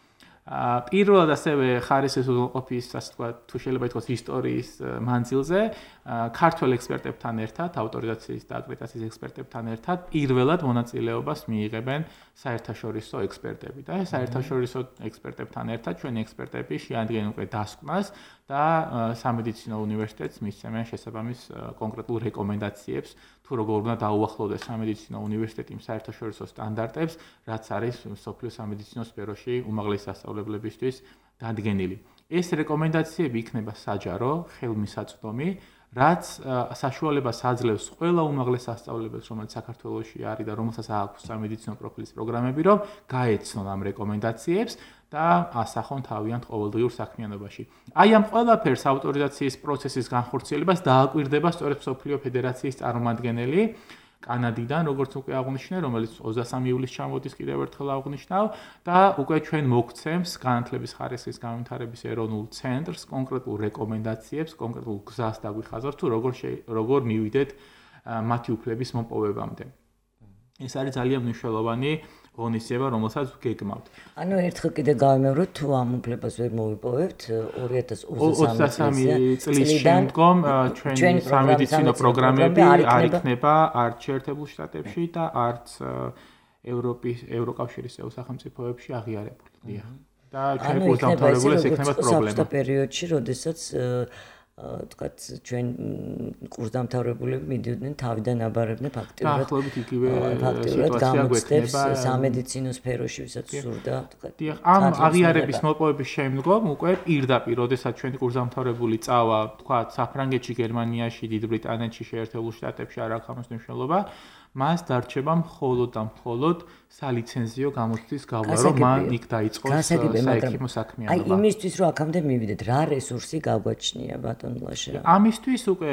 პირველად ასევე ხარისხის უზრუნველყოფის, ასე ვთქვათ, თუ შეიძლება ითქვას ისტორიის მანძილზე, ქართველ ექსპერტებთან ერთად, ავტორიზაციის და აკრედიტაციის ექსპერტებთან ერთად პირველად მონაწილეობას მიიღებენ საერთაშორისო ექსპერტები და საერთაშორისო ექსპერტებთან ერთად ჩვენი ექსპერტები შეადგენენ უკვე დასკვნას და სამედიცინო უნივერსიტეტს მისცემენ შესაბამის კონკრეტულ რეკომენდაციებს, თუ როგორ უნდა დაუახლოვდეს სამედიცინო უნივერსიტეტი საერთაშორისო სტანდარტებს, რაც არის მსოფლიო სამედიცინო სფეროში უმაღლესი სასწავლებლებისთვის დადგენილი. ეს რეკომენდაციები იქნება საჯარო, ხელმისაწვდომი, რაც საშუალებას აძლევს ყველა უმაღლეს სასწავლებელს, რომელიც საქართველოში არის და რომელსაც აქვს სამედიცინო პროფილის პროგრამები, რომ გაეცნონ ამ რეკომენდაციებს და ასახონ თავიანთ ყოველდღიურ საქმიანობაში. აი ამ ყველაფერს ავტორიზაციის პროცესის განხორციელებას დააკვირდება სწორედ მსოფლიო ფედერაციის წარმომადგენელი კანადიდან, როგორც უკვე აღნიშნე, რომელიც 23 ივლისს ჩამოდის, კიდევ ერთხელ აღნიშნავ და უკვე ჩვენ მოგცემს განათლების ხარისხის განვითარების ეროვნულ ცენტრს კონკრეტულ რეკომენდაციებს, კონკრეტულ გზას დაგვიხაზავს, თუ როგორ მივიდეთ მათი უფლების მოპოვებამდე. ეს არის ძალიან მნიშვნელოვანი ღონისძიება, რომელსაც გეგმავთ. ანუ ერთხელ კიდე გავიმეოროთ, თუ ამ უფლებას ვერ მოვიპოვებთ 2023 წლის შემდგომ ჩვენი სამედიცინო პროგრამები არ იქნება არც შეერთებულ შტატებში და არც ევროკავშირის წევრ სახელმწიფოებში აღიარებული. და ჩვენ კურსდამთავრებული ეს იქნება პრობლემა. ამ პერიოდში, როდესაც თქვათ ჩვენ კურსდამთავრებულები მიდიოდნენ თავიდან აბარებდნენ ფაქტიურად. ახლობით იგივე სიტუაცია გვექნება სამედიცინო სფეროში, ვისაც სურდა, თქვათ. ამ აღიარების მოპოვების შემდგომ უკვე პირდაპირ, როდესაც ჩვენი კურსდამთავრებული წავა, თქვათ, საფრანგეთში, გერმანიაში, დიდ ბრიტანეთში, შეერთებულ შტატებში არ აქვს ამის მნიშვნელობა. მას დარჩება მხოლოდ და მხოლოდ სალიცენზიო გამოცდის გავლა, რომ მან იქ დაიწყოს საექიმო საქმიანობა. აი იმისთვის, რომ აქამდე მივიდეთ, რა რესურსი გაგვაჩნია ბატონ ლაშა? ამისთვის უკვე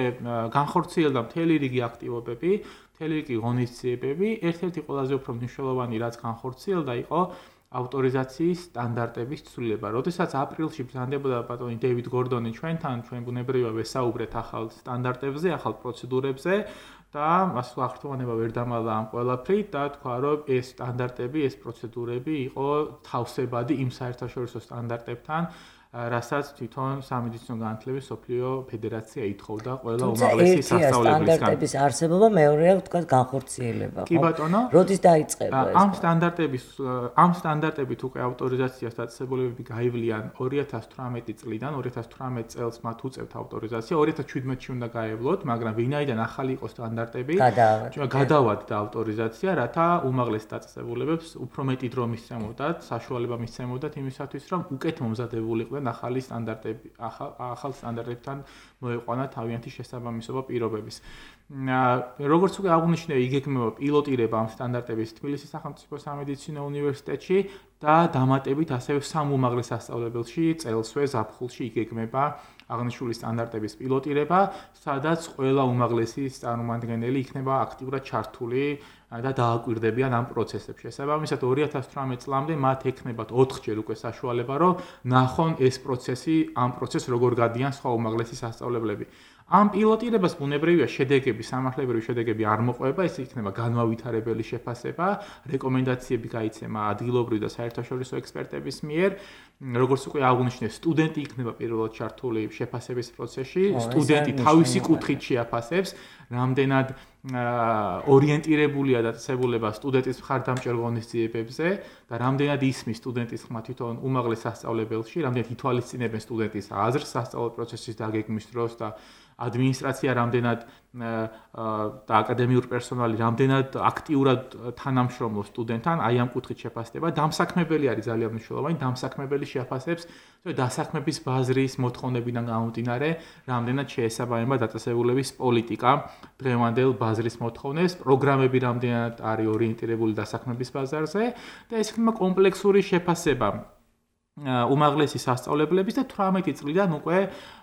განხორციელდა მთელი რიგი აქტივობები, მთელი რიგი ღონისძიებები. ერთ-ერთი ყველაზე უფრო მნიშვნელოვანი, რაც განხორციელდა, იყო ავტორიზაციის სტანდარტების ცვლილება. როდესაც აპრილში ბრძანდებოდა ბატონი დეივიდ გორდონი ჩვენთან, ჩვენ ბუნებრივია ვესაუბრეთ ახალ სტანდარტებზე, ახალ პროცედურებზე და ასე აღრთოვანება ვერ დამალდა ამ ყველაფრით და თქვა, რომ ეს სტანდარტები, ეს პროცედურები იყო თავსებადი იმ საერთაშორისო სტანდარტებთან, რასაც თვითონ სამედიცინო განათლების სოფლიო ფედერაცია ითხოვდა ყველა უმაღლესი სასწავლებლისგან. სტანდარტების არსებობა, მეორეა თქვა განხორციელება. კი ბატონო. როდის დაიწყება ეს? ამ სტანდარტებით უკვე ავტორიზაციას დაწესებულებები გაივლიან 2018 წლიდან, 2018 წელს მათ უწევთ ავტორიზაცია, 2017-ში უნდა გაევლოთ, მაგრამ ვინაიდან ახალი იყო სტანდარტები, გადავადდა ავტორიზაცია, რათა უმაღლეს დაწესებულებებს უფრო მეტი დრო მისცემოდათ, საშუალება მისცემოდათ იმისათვის, რომ უკეთ მომზადებულიყვნენ ახალი სტანდარტები, ახალ სტანდარტებთან მოეყვანათ თავიანთი შესაბამისობა პირობების. როგორც უკვე აღნიშნე, იგეგმება პილოტირება ამ სტანდარტების თბილისის სახელმწიფო სამედიცინო უნივერსიტეტში და დამატებით ასევე სამ უმაღლეს სასწავლებელში წელსვე ზაფხულში იგეგმება აღნიშნული სტანდარტების პილოტირება, სადაც ყველა უმაღლესი წარმომადგენელი იქნება აქტიურად ჩართული და დააკვირდებიან ამ პროცესებში. შესაბამისად 2018 წლამდე მათ ექნებათ 4-ჯერ უკვე საშუალება, რომ ნახონ ეს პროცესი, ამ პროცესს როგორ გადიან სხვა უმაღლესი სასწავლებლები. ამ პილოტირებას ბუნებრივია შედეგები, სამართლებრივი შედეგები არ მოყვება, ეს იქნება განმავითარებელი შეფასება, რეკომენდაციები გაიცემა ადგილობრივი და საერთაშორისო ექსპერტების მიერ. როგორც უკვე აღნიშნე, სტუდენტი იქნება პირველად ჩართული შეფასების პროცესში, სტუდენტი თავისი კუთხით შეაფასებს, რამდენად ორიენტირებულია დაწესებულება სტუდენტის მხარდამჭერ ღონისძიებებზე და რამდენად ისმის სტუდენტის ხმა თვითონ უმაღლეს სასწავლებელში, რამდენად ითვალისწინებენ სტუდენტის აზრს სასწავლო პროცესის დაგეგმვის დროს და ადმინისტრაცია რამდენად და აკადემიური პერსონალი რამდენად აქტიურად თანამშრომლობს სტუდენტთან, აი ამ კუთხით შეფასდება. დამსაქმებელი არის ძალიან მნიშვნელოვანი, დამსაქმებელი შეაფასებს დასაქმების ბაზრის მოთხოვნებიდან გამომდინარე, რამდენად შეესაბამება დაწესებულების პოლიტიკა დღევანდელ ბაზრის მოთხოვნებს, პროგრამები რამდენად არის ორიენტირებული დასაქმების ბაზარზე და ეს იქნება კომპლექსური შეფასება უმაღლესი სასწავლებლების და 18 წლიდან უკვე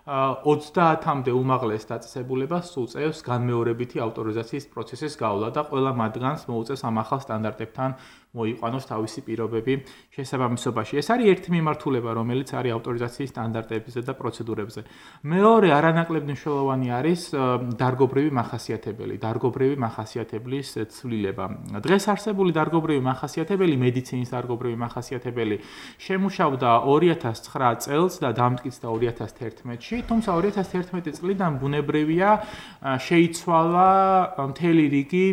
30-მდე უმაღლეს დაწესებულებას უწევს განმეორებითი ავტორიზაციის პროცესის გავლა და ყველა მათგანს მოუწევს ამ ახალ სტანდარტებთან მოიყვანოს თავისი პირობები შესაბამისობაში. ეს არის ერთი მიმართულება, რომელიც არის ავტორიზაციის სტანდარტებზე და პროცედურებზე. მეორე არანაკლებ მნიშვნელოვანი არის დარგობრივი მახასიათებელი, დარგობრივი მახასიათებლის ცვლილება. დღეს არსებული დარგობრივი მახასიათებელი, მედიცინის დარგობრივი მახასიათებელი შემუშავდა 2009 წელს და დამტკიცდა 2011-ში. თუმცა 2011 წლიდან ბუნებრივია შეიცვალა მთელი რიგი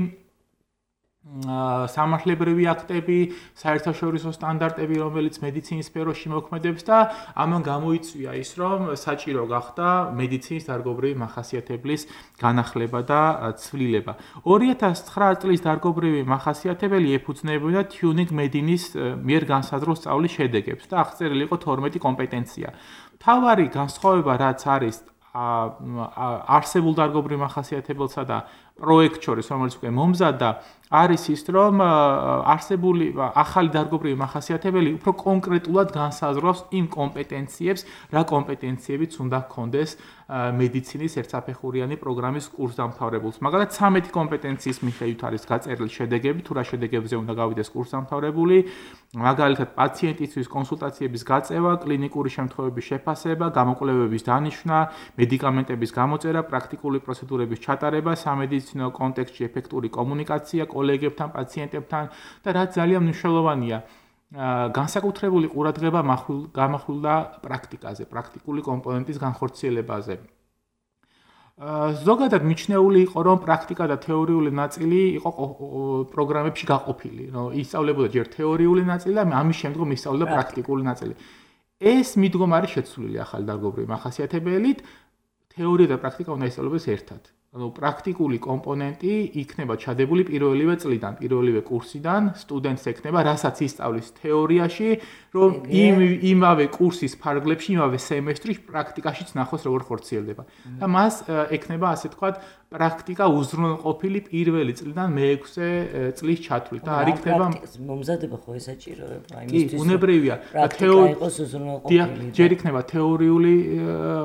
სამართლებრივი აქტები, საერთაშორისო სტანდარტები, რომელიც მედიცინის სფეროში მოქმედებს და ამან გამოიწვია ის, რომ საჭირო გახდა მედიცინის დარგობრივი მახასიათებლის განახლება და ცვლილება. 2009 წლის დარგობრივი მახასიათებელი ეფუძნებოდა Tuning Medinis მიერ განსაზღვრულ სწავლის შედეგებს და აღწერილი იყო 12 კომპეტენცია. მთავარი განსხვავება რაც არის არსებულ დარგობრივ მახასიათებელსა და პროექტ შორის, რომელიც უკვე მომზადდა, არის ის, რომ არსებული ახალი დარგობრივი მახასიათებელი უფრო კონკრეტულად განსაზღვრავს იმ კომპეტენციებს, რა კომპეტენციებიც უნდა ჰქონდეს მედიცინის ერთსაფეხურიანი პროგრამის კურსდამთავრებულს. მაგალითად, 13 კომპეტენციის მიხედვით არის გაწერილი შედეგები, თუ რა შედეგებზე უნდა გავიდეს კურსდამთავრებული, მაგალითად, პაციენტისთვის კონსულტაციების გაწევა, კლინიკური შემთხვევების შეფასება, გამოკვლევების დანიშვნა, მედიკამენტების გამოწერა, პრაქტიკული პროცედურების ჩატარება, სამედიცინო კონტექსტში ეფექტური კომუნიკაცია კოლეგებთან, პაციენტებთან და რაც ძალიან მნიშვნელოვანია, განსაკუთრებული ყურადღება გამახვილდა პრაქტიკაზე, პრაქტიკული კომპონენტის განხორციელებაზე. ზოგადად მიჩნეული იყო, რომ პრაქტიკა და თეორიული ნაწილი იყო პროგრამებში გაყოფილი. ისწავლებოდა ჯერ თეორიული ნაწილი და ამის შემდგომ ისწავლება პრაქტიკული ნაწილი. ეს მიდგომა არის შეცვლილი ახალი დარგობრივი მახასიათებელით, თეორია და პრაქტიკა უნდა ისწავლebes ერთად. პრაქტიკული კომპონენტი იქნება ჩადებული პირველივე წლიდან, პირველივე კურსიდან, სტუდენტს ექნება, რასაც ისწავლის თეორიაში, რომ იმავე კურსის ფარგლებში, იმავე სემესტრში პრაქტიკაშიც ნახოს როგორ ხორციელდება. და მას ექნება, ასე თქვათ, პრაქტიკა უზრუნველყოფილი პირველი წლიდან მე-6 წლის ჩათვლით და არ იქნება მომზადება ხო ესაჭიროება იმისთვის. კი, ბუნებრივია. თეორია იყოს უზრუნველყოფილი. ჯერ იქნება თეორიული,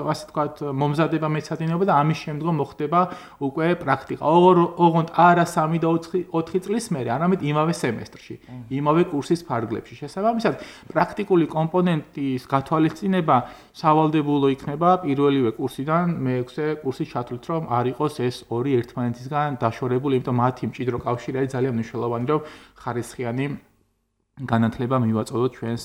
ასე თქვათ, მომზადება მეცადინეობა და ამის შემდგომ მოხდება უკვე პრაქტიკა. ოღონდ არა 3 და 4 წლის მერე, არამედ იმავე სემესტრში, იმავე კურსის ფარგლებში. შესაბამისად, პრაქტიკული კომპონენტის გათვალისწინება სავალდებულო იქნება პირველივე კურსიდან მე-6 კურსის ჩათვლით, რომ არ იყოს ეს ორი ერთმანეთისგან დაშორებული, იმიტომ მათი მჭიდრო კავშირი არის ძალიან მნიშვნელოვანი, რომ ხარისხიანი განათლება მივაწოდოთ ჩვენს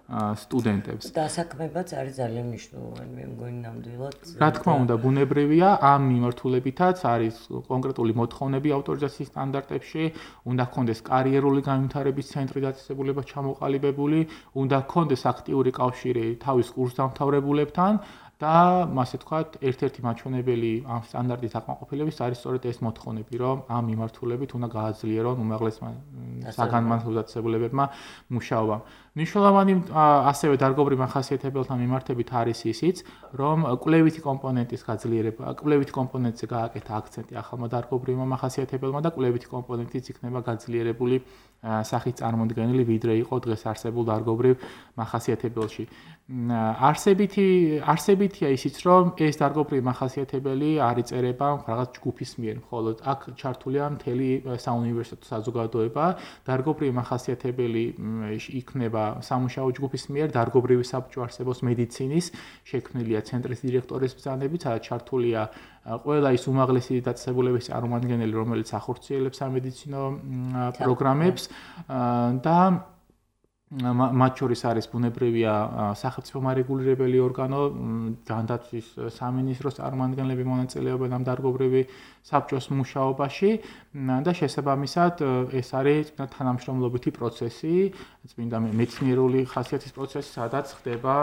სტუდენტებს. დასაქმებაც არის ძალიან მნიშვნელოვანი, მე მგონი ნამდვილად. რა თქმა უნდა, ბუნებრივია, ამ მიმართულებითაც არის კონკრეტული მოთხოვნები ავტორიზაციის სტანდარტებში, უნდა ჰქონდეს კარიერული განვითარების ცენტრი დაწესებულება ჩამოყალიბებული, უნდა ჰქონდეს აქტიური კავშირი თავის კურსდამთავრებულებთან. და ასე ვთქვათ, ერთ-ერთი მაჩვენებელი ამ სტანდარტის აკმაყოფილების არის სწორედ ეს მოთხოვნები, რომ ამ მიმართულებით უნდა გააძლიერონ უმაღლესმა საგანმანათლებლო დაწესებულებებმა მუშაობა. მნიშვნელოვანი ასევე დარგობრივ მახასიათებელთან მიმართებით არის ისიც, რომ კვლევითი კომპონენტის გაძლიერება, კვლევითი კომპონენტზე გააკეთა აქცენტი ახალმა დარგობრივმა მახასიათებელმა და კვლევითი კომპონენტიც იქნება გაძლიერებული სახით წარმოდგენილი, ვიდრე იყო დღეს არსებულ დარგობრივ მახასიათებელში. არსებითია ისიც, რომ ეს დარგობრივი მახასიათებელი არ იწერება რაღაც ჯგუფის მიერ, მხოლოდ აქ ჩართულია მთელი საუნივერსიტეტო საზოგადოება, დარგობრივი მახასიათებელი იქნება სამუშაო ჯგუფის მიერ, დარგობრივი საბჭო არსებობს მედიცინის, შექმნილია ცენტრის დირექტორის ბრძანებით, სადაც ჩართულია ყველა ის უმაღლესი დაწესებულების წარმომადგენელი, რომელიც ახორციელებს სამედიცინო პროგრამებს და მათ შორის არის ბუნებრივია სახელმწიფო მარეგულირებელი ორგანო, ჯანდაცვის სამინისტროს წარმომადგენლები მონაწილეობენ ამ დარგობრივი საბჭოს მუშაობაში და შესაბამისად ეს არის თანამშრომლობითი პროცესი, წმინდა მეცნიერული ხასიათის პროცესი, სადაც ხდება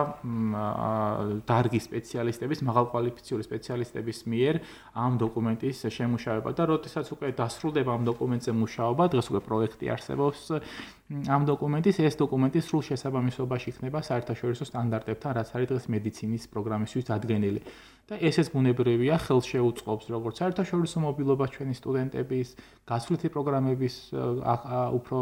დარგის სპეციალისტების, მაღალკვალიფიციური სპეციალისტების მიერ ამ დოკუმენტის შემუშავება და როდესაც უკვე დასრულდება ამ დოკუმენტზე მუშაობა, დღეს უკვე პროექტი არსებობს ამ დოკუმენტის, ეს დოკუმენტი სრულ შესაბამისობაში იქნება საერთაშორისო სტანდარტებთან, რაც არის დღეს მედიცინის პროგრამისთვის დადგენილი. და ესეც ბუნებრივია, ხელს შეუწყობს როგორც საერთაშორისო მობილობას ჩვენი სტუდენტების, გასვლითი პროგრამების უფრო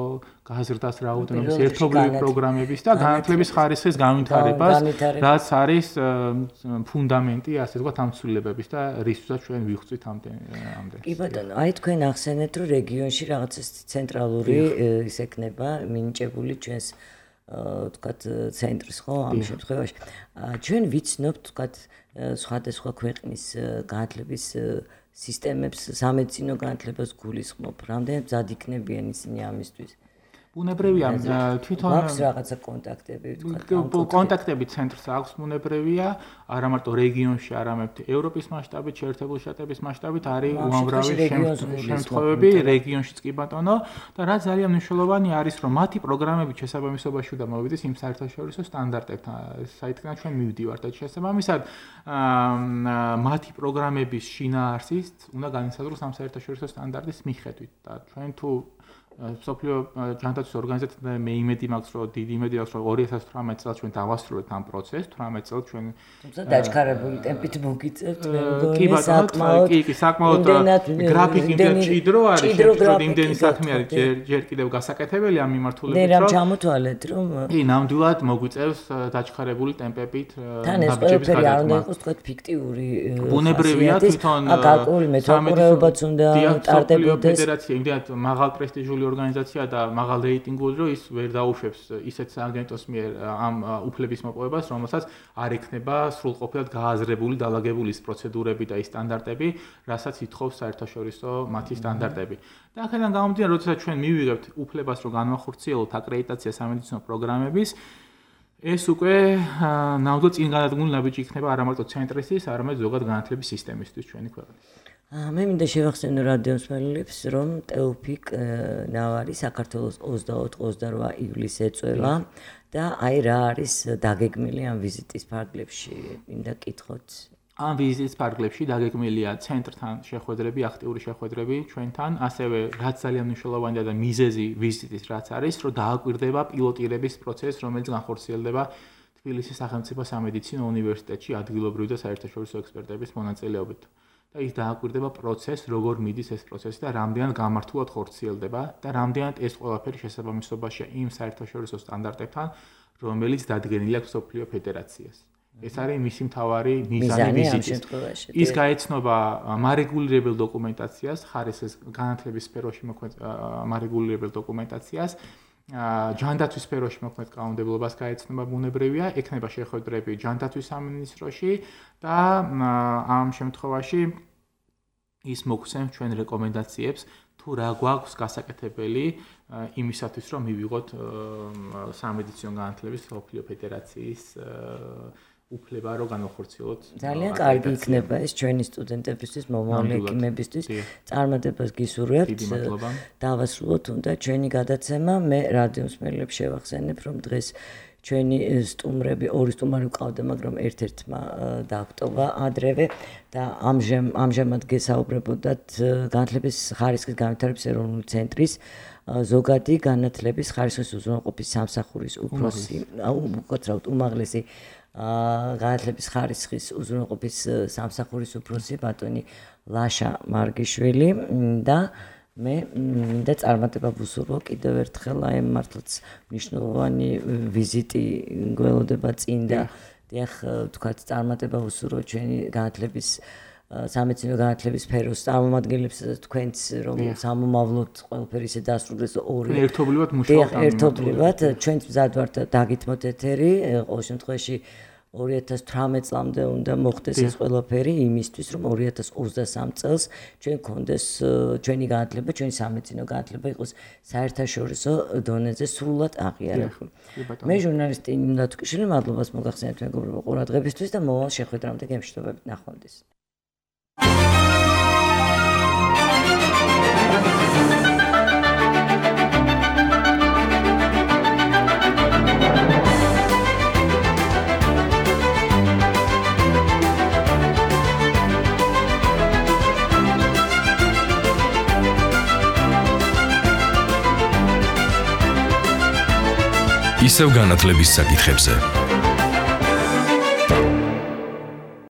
გაზრდას რაოდენობის, ერთობლივი პროგრამების და განათლების ხარისხის განვითარებას, რაც არის ფუნდამენტი, ასე ვთქვათ, ამ ცვლილებების და რისთვისაც ჩვენ ვიხვწვით ამდენ. კი ბატონო, აი თქვენ ახსენეთ, რომ რეგიონში რაღაც ცენტრალური ის ექნება მინიჭებული ჩვენს ვთქვათ ცენტრის ხო ამ შემთხვევაში. ჩვენ ვიცნობთ ვთქვათ სხვადასხვა ქვეყნის განათლების სისტემებს, სამედიცინო განათლებას გულისხმობ, რამდენად მზად იქნებიან ისინი ამისთვის? ბუნებრივია თვითონ აქვს რაღაცა კონტაქტები ვთქვათ. კონტაქტები ცენტრს აქვს ბუნებრივია, არა მარტო რეგიონში, არამედ ევროპის მასშტაბით, შეერთებული შტატების მასშტაბით არის უამრავი შემთხვევები რეგიონშიც კი ბატონო და რა ძალიან მნიშვნელოვანი არის, რომ მათი პროგრამები შესაბამისობაში უნდა მოვიდეს იმ საერთაშორისო სტანდარტებთან, საერთოდ ჩვენ მივდივართ და შესაბამისად მათი პროგრამების შინაარსით უნდა განისაზღვროს ამ საერთაშორისო სტანდარტის მიხედვით და ჩვენ თუ სოფლიო ჯანდაცვის ორგანიზაცია მე იმედი მაქვს, რომ დიდი იმედი აქვს, რომ 2018 წელს ჩვენ დავასრულებთ ამ პროცესს, 18 წელს ჩვენ თუმცა დაჩქარებული ტემპით მოგიწევთ, მე კი ბატონო, კი, საკმაოდ გრაფიკი და ჭიდრო არის, შეგვიძლია იმდენი საქმე არის ჯერ კიდევ გასაკეთებელი ამ მიმართულებით, რომ ნერამ ჩამოთვალეთ, რომ კი, ნამდვილად მოგვიწევს დაჩქარებული ტემპებით თან ეს ყველაფერი არ უნდა იყოს თქვენ ფიქტიური ბუნებრივია თვითონ აკალკული მეთოდოლოგიებაც უნდა ტარდებოდეს ფედერაცია იმდენად მაღალ პრესტიჟული ორგანიზაცია და მაღალ რეიტინგული, რომ ის ვერ დაუშვებს ისეთ აგენტოს მიერ ამ უფლების მოპოვებას, რომელსაც არ ექნება სრულყოფილად გააზრებული, დალაგებული ის პროცედურები და ის სტანდარტები, რასაც ითხოვს საერთაშორისო მათი სტანდარტები. და აქედან გამომდინარე, როდესაც ჩვენ მივიღებთ უფლებას, რომ განვახორციელოთ აკრედიტაცია სამედიცინო პროგრამების, ეს უკვე ნამდვილად წინ გადადგმული ნაბიჯი იქნება არა მარტო ცენტრისთვის, არამედ ზოგადად განათლების სისტემისთვის ჩვენი ქვეყნის. მე მინდა შევახსენო რადიოსმენელებს, რომ ტეოფიკ ნავარი საქართველოს 24-28 ივლისს ეწევა და აი რა არის დაგეგმილი ამ ვიზიტის ფარგლებში, მინდა კითხოთ. ამ ვიზიტის ფარგლებში დაგეგმილია ცენტრთან შეხვედრები, აქტიური შეხვედრები ჩვენთან, ასევე რაც ძალიან მნიშვნელოვანია და მიზეზი ვიზიტის რაც არის, რომ დააკვირდება პილოტირების პროცესს, რომელიც განხორციელდება თბილისის სახელმწიფო სამედიცინო უნივერსიტეტში ადგილობრივი და საერთაშორისო ექსპერტების მონაწილეობით. და ის დააკვირდება პროცესს, როგორ მიდის ეს პროცესი და რამდენად გამართულად ხორციელდება და რამდენად ეს ყველაფერი შესაბამისობაშია იმ საერთაშორისო სტანდარტებთან, რომელიც დადგენილი აქვს სოფლიო ფედერაციას. ეს არის მისი მთავარი მიზანი ვიზიტის. ის გაეცნობა მარეგულირებელ დოკუმენტაციას, ხარისხის განათლების სფეროში მოქმედ მარეგულირებელ დოკუმენტაციას, ჯანდაცვის სფეროში მოქმედ კანონმდებლობას გაეცნობა ბუნებრივია, ექნება შეხვედრები ჯანდაცვის სამინისტროში და ამ შემთხვევაში ის მოგცემს ჩვენ რეკომენდაციებს თუ რა გვაქვს გასაკეთებელი იმისათვის რომ მივიღოთ სამედიცინო განათლების მსოფლიო ფედერაციის უფლება რომ განახორციელოთ. ძალიან კარგი იქნება ეს ჩვენი სტუდენტებისთვის, მომავალი ექიმებისთვის. წარმატებას გისურვებთ. დავასრულოთ უნდა ჩვენი გადაცემა. მე რადიო მსმენელებს შევახსენებ, რომ დღეს ჩვენი სტუმრები, ორი სტუმარი ვყავდა, მაგრამ ერთ-ერთმა დაგვტოვა ადრევე და ამჟამად გესაუბრებოდათ განათლების ხარისხის განვითარების ეროვნული ცენტრის ზოგადი განათლების ხარისხის უზრუნველყოფის სამსახურის უფროსი, უკაცრავად უმაღლესი განათლების ხარისხის უზრუნველყოფის სამსახურის უფროსი ბატონი ლაშა მარგიშვილი და მე მინდა წარმატება ვუსურვო კიდევ ერთხელ აი მართლაც მნიშვნელოვანი ვიზიტი გველოდება წინ და დიახ თქვათ წარმატება ვუსურვო ჩვენი განათლების სამედიცინო განათლების სფეროს წარმომადგენლებს თქვენც რომ სამომავლოდ ყველაფერი ისე დასრულდეს ორი ერთობლივად მუშაობთ ერთობლივად ჩვენც მზად ვართ დაგითმოთ ეთერი ყოველ შემთხვევაში 2018 წლამდე უნდა მოხდეს ეს ყველაფერი იმისთვის რომ 2023 წელს ჩვენ გქონდეს ჩვენი განათლება, ჩვენი სამედიცინო განათლება იყოს საერთაშორისო დონეზე სრულად აღიარებული. მე ჟურნალისტი ნინო თუკიშვილი მადლობას მოგახსენებთ მეგობრებო ყურადღებისთვის და მოვალ შეხვედრამდე გემშვიდობებით ნახვამდის. ისევ განათლების საკითხებზე